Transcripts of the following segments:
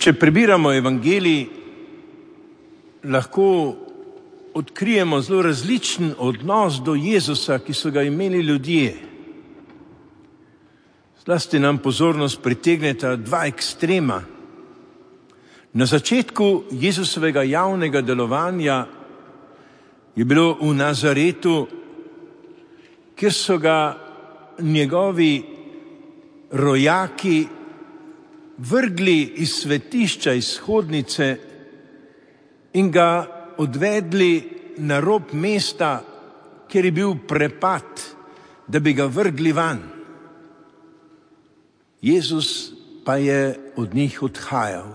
Če prebiramo evangelij, lahko odkrijemo zelo različen odnos do Jezusa, ki so ga imeli ljudje. Zlasti nam pozornost pritegneta dva ekstrema. Na začetku Jezusovega javnega delovanja je bilo v Nazaretu, kjer so ga njegovi rojaki vrgli iz svetišča, iz shodnice in ga odvedli na rob mesta, kjer je bil prepad, da bi ga vrgli van. Jezus pa je od njih odhajal.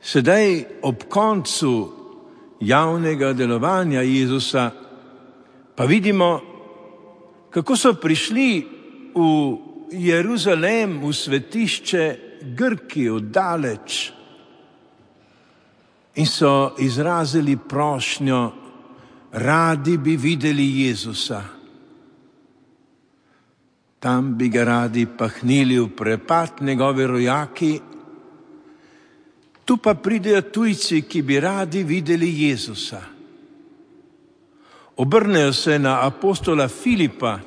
Sedaj ob koncu javnega delovanja Jezusa pa vidimo, kako so prišli v Jeruzalem, v svetišče Grki oddaleč in so izrazili prošnjo, radi bi videli Jezusa. Tam bi ga radi pahnili v prepad njegovi rojaki, tu pa pridejo tujci, ki bi radi videli Jezusa. Obrnejo se na apostola Filipa,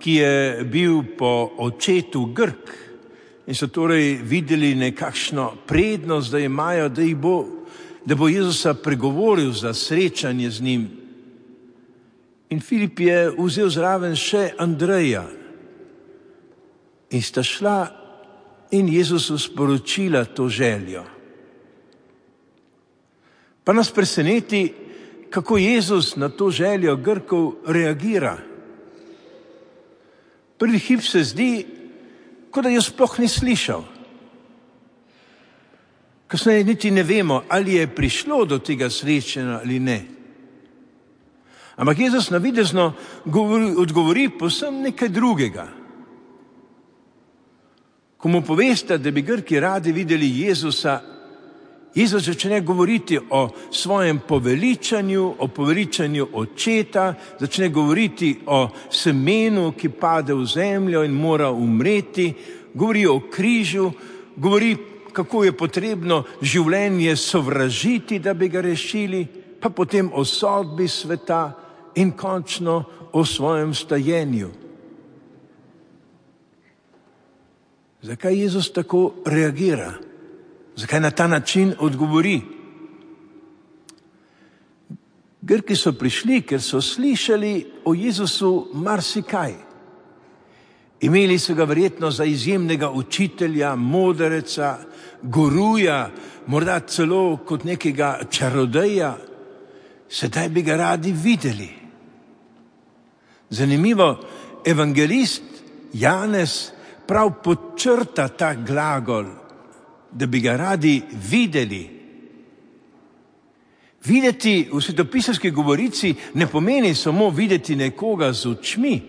ki je bil po očetu Grk in so torej videli nekakšno prednost, da imajo, da bo Jezusa pregovoril za srečanje z njim. In Filip je vzel zraven še Andreja in sta šla in Jezusu sporočila to željo. Pa nas preseneti, kako Jezus na to željo Grkov reagira. Prvi hip se zdi, kot da jo sploh ni slišal. Kasneje niti ne vemo, ali je prišlo do tega srečanja ali ne. Ampak Jezus navidezno odgovori povsem nekaj drugega. Ko mu povesta, da bi Grki radi videli Jezusa, Jezus začne govoriti o svojem poveličanju, o poveličanju očeta, začne govoriti o semenu, ki pade v zemljo in mora umreti, govori o križu, govori, kako je potrebno življenje sovražiti, da bi ga rešili, pa potem o sodbi sveta in končno o svojem stajenju. Zakaj Jezus tako reagira? Zakaj na ta način odgovori? Grki so prišli, ker so slišali o Jezusu marsikaj. Imeli so ga verjetno za izjemnega učitelja, modreca, guruja, morda celo kot nekega čarodeja. Sedaj bi ga radi videli. Zanimivo, evangelist Janez prav podčrta ta glagol, da bi ga radi videli. Videti v svetopisemski govorici ne pomeni samo videti nekoga z očmi,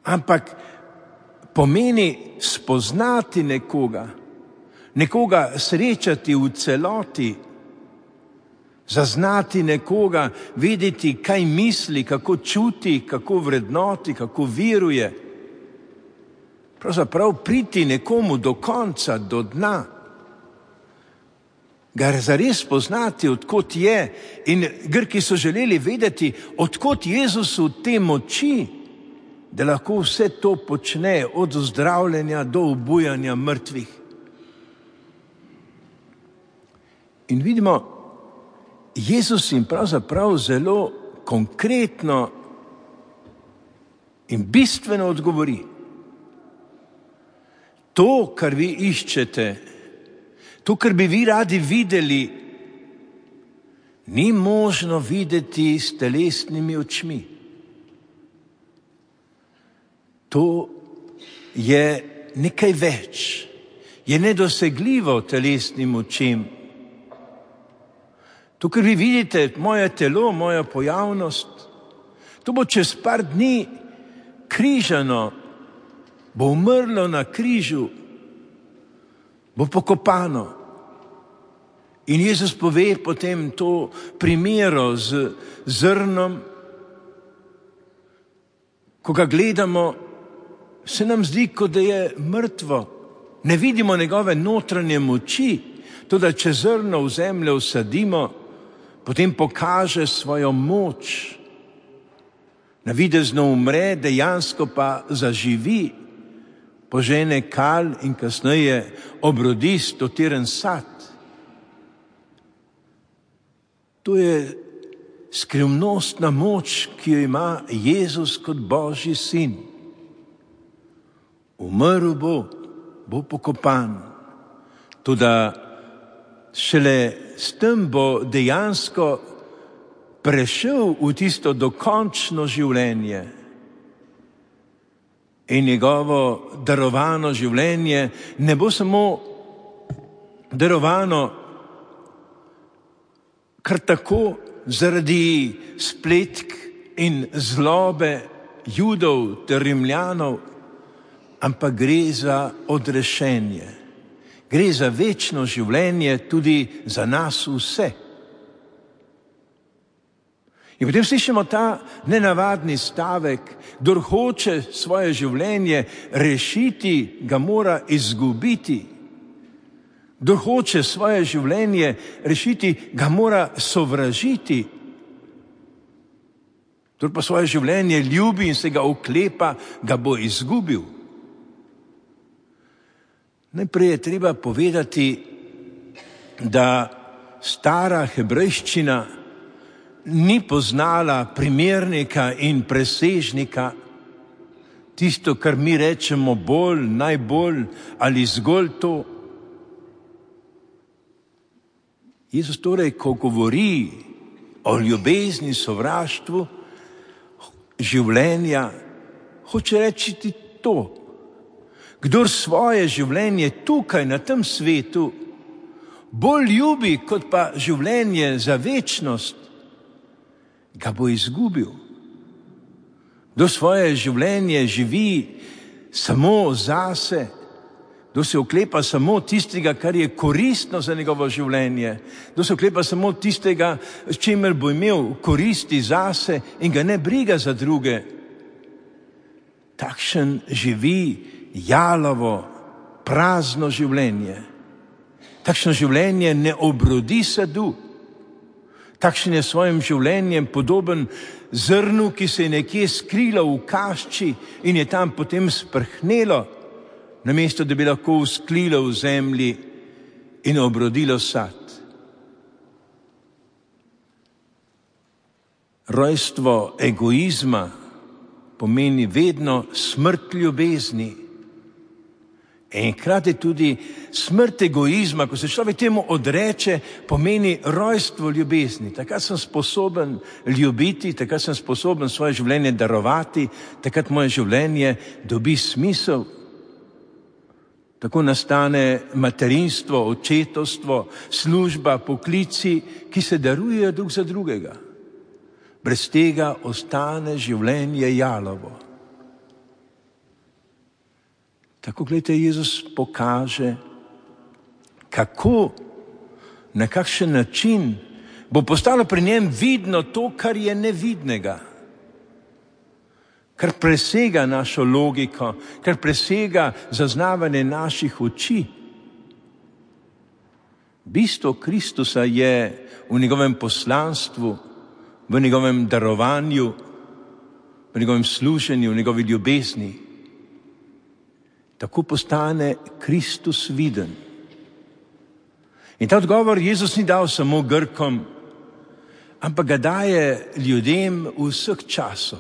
ampak pomeni spoznati nekoga srečati v celoti, zaznati nekoga, vedeti, kaj misli, kako čuti, kako vrednoti, kako veruje. Pravzaprav priti nekomu do konca, do dna, ga zares poznati, odkot je. In Grki so želeli vedeti, odkot Jezusu te moči, da lahko vse to počne, od ozdravljenja do obujanja mrtvih. In vidimo, Jezus jim pravzaprav zelo konkretno in bistveno odgovori. To, kar vi iščete, to, kar bi vi radi videli, ni možno videti s telesnimi očmi. To je nekaj več, je nedosegljivo telesnim očem. To, kar vi vidite, moje telo, moja pojavnost, to bo čez par dni križano, bo umrlo na križu, bo pokopano. In Jezus pove potem to primero z zrnom. Ko ga gledamo, se nam zdi, kot da je mrtvo, ne vidimo njegove notranje moči, toda če zrno v zemljo vsadimo, potem pokaže svojo moč. Navidezno umre, dejansko pa zaživi, požene kal in kasneje obrodi stotiren sad. To je skrivnostna moč, ki jo ima Jezus kot Božji sin. Umrl bo pokopan. Toda šele s tem bo dejansko prešel v tisto dokončno življenje. In njegovo darovano življenje ne bo samo darovano kar tako zaradi spletk in zlobe Judov ter Rimljanov, ampak gre za odrešenje. Gre za večno življenje tudi za nas vse. In potem slišimo ta nenavadni stavek, kdor hoče svoje življenje rešiti, ga mora izgubiti. Kdor hoče svoje življenje rešiti, ga mora sovražiti. Kdor pa svoje življenje ljubi in se ga oklepa, ga bo izgubil. Najprej je treba povedati, da stara hebrejščina ni poznala primernika in presežnika, tisto, kar mi rečemo bolj, najbolj ali zgolj to. Jezus torej, ko govori o ljubezni, sovraštvu, življenja, hoče reči to. Kdor svoje življenje tukaj na tem svetu bolj ljubi kot pa življenje za večnost, ga bo izgubil. Kdor svoje življenje živi samo zase, kdor se oklepa samo tistega, kar je koristno za njegovo življenje, kdor se oklepa samo tistega, s čimer bo imel koristi zase in ga ne briga za druge, takšen živi jalovo, prazno življenje. Takšno življenje ne obrodi sadu. Takšen je svojim življenjem podoben zrnu, ki se je nekje skrilo v kašči in je tam potem sprhnelo, namesto da bi lahko vzklilo v zemlji in obrodilo sad. Rojstvo egoizma pomeni vedno smrt ljubezni. In hkrati tudi smrt egoizma, ko se človek temu odreče, pomeni rojstvo ljubezni. Takrat sem sposoben ljubiti, takrat sem sposoben svoje življenje darovati, takrat moje življenje dobi smisel. Tako nastane materinstvo, očetovstvo, služba, poklici, ki se darujejo drug za drugega. Brez tega ostane življenje jalovo. Tako, gledajte, Jezus pokaže, kako, na kakšen način bo postalo pri njem vidno to, kar je nevidnega, kar presega našo logiko, kar presega zaznavanje naših oči. Bistvo Kristusa je v njegovem poslanstvu, v njegovem darovanju, v njegovem služenju, v njegovi ljubezni. Tako postane Kristus viden. In ta odgovor Jezus ni dal samo Grkom, ampak ga daje ljudem vseh časov.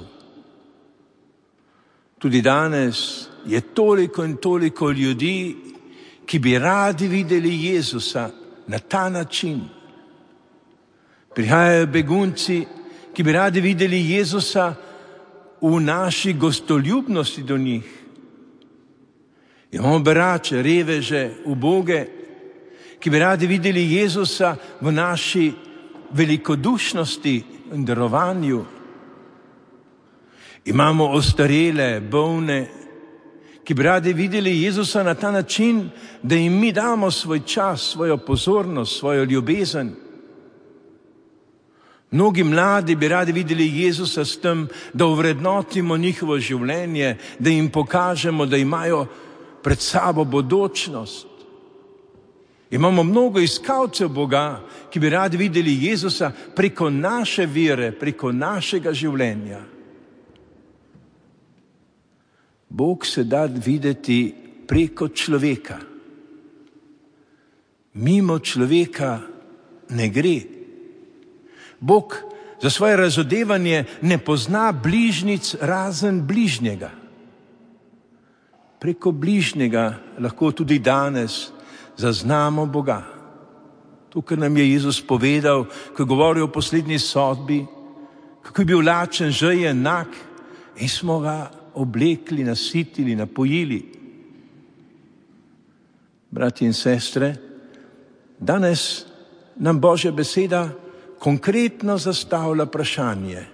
Tudi danes je toliko in toliko ljudi, ki bi radi videli Jezusa na ta način. Prihajajo begunci, ki bi radi videli Jezusa v naši gostoljubnosti do njih. Imamo berače, reveže, uboge, ki bi radi videli Jezusa v naši velikodušnosti in darovanju. Imamo ostarele, bolne, ki bi radi videli Jezusa na ta način, da jim mi damo svoj čas, svojo pozornost, svojo ljubezen. Mnogi mladi bi radi videli Jezusa s tem, da ovrednotimo njihovo življenje, da jim pokažemo, da imajo pred sabo bodočnost. Imamo mnogo iskalcev Boga, ki bi radi videli Jezusa preko naše vere, preko našega življenja. Bog se da videti preko človeka. Mimo človeka ne gre. Bog za svoje razodevanje ne pozna bližnjic razen bližnjega. Preko bližnjega lahko tudi danes zaznamo Boga. Tukaj nam je Jezus povedal, ko je govoril o poslednji sodbi, kako je bil lačen, žejen, nag in smo ga oblekli, nasitili, napojili. Bratje in sestre, danes nam Božja beseda konkretno zastavlja vprašanje,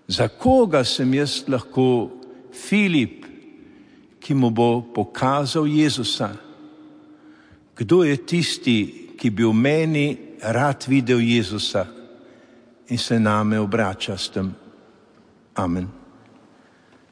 za koga sem jaz lahko Filip, ki mu bo pokazal Jezusa? Kdo je tisti, ki bi v meni rad videl Jezusa in se name obrača s tem? Amen.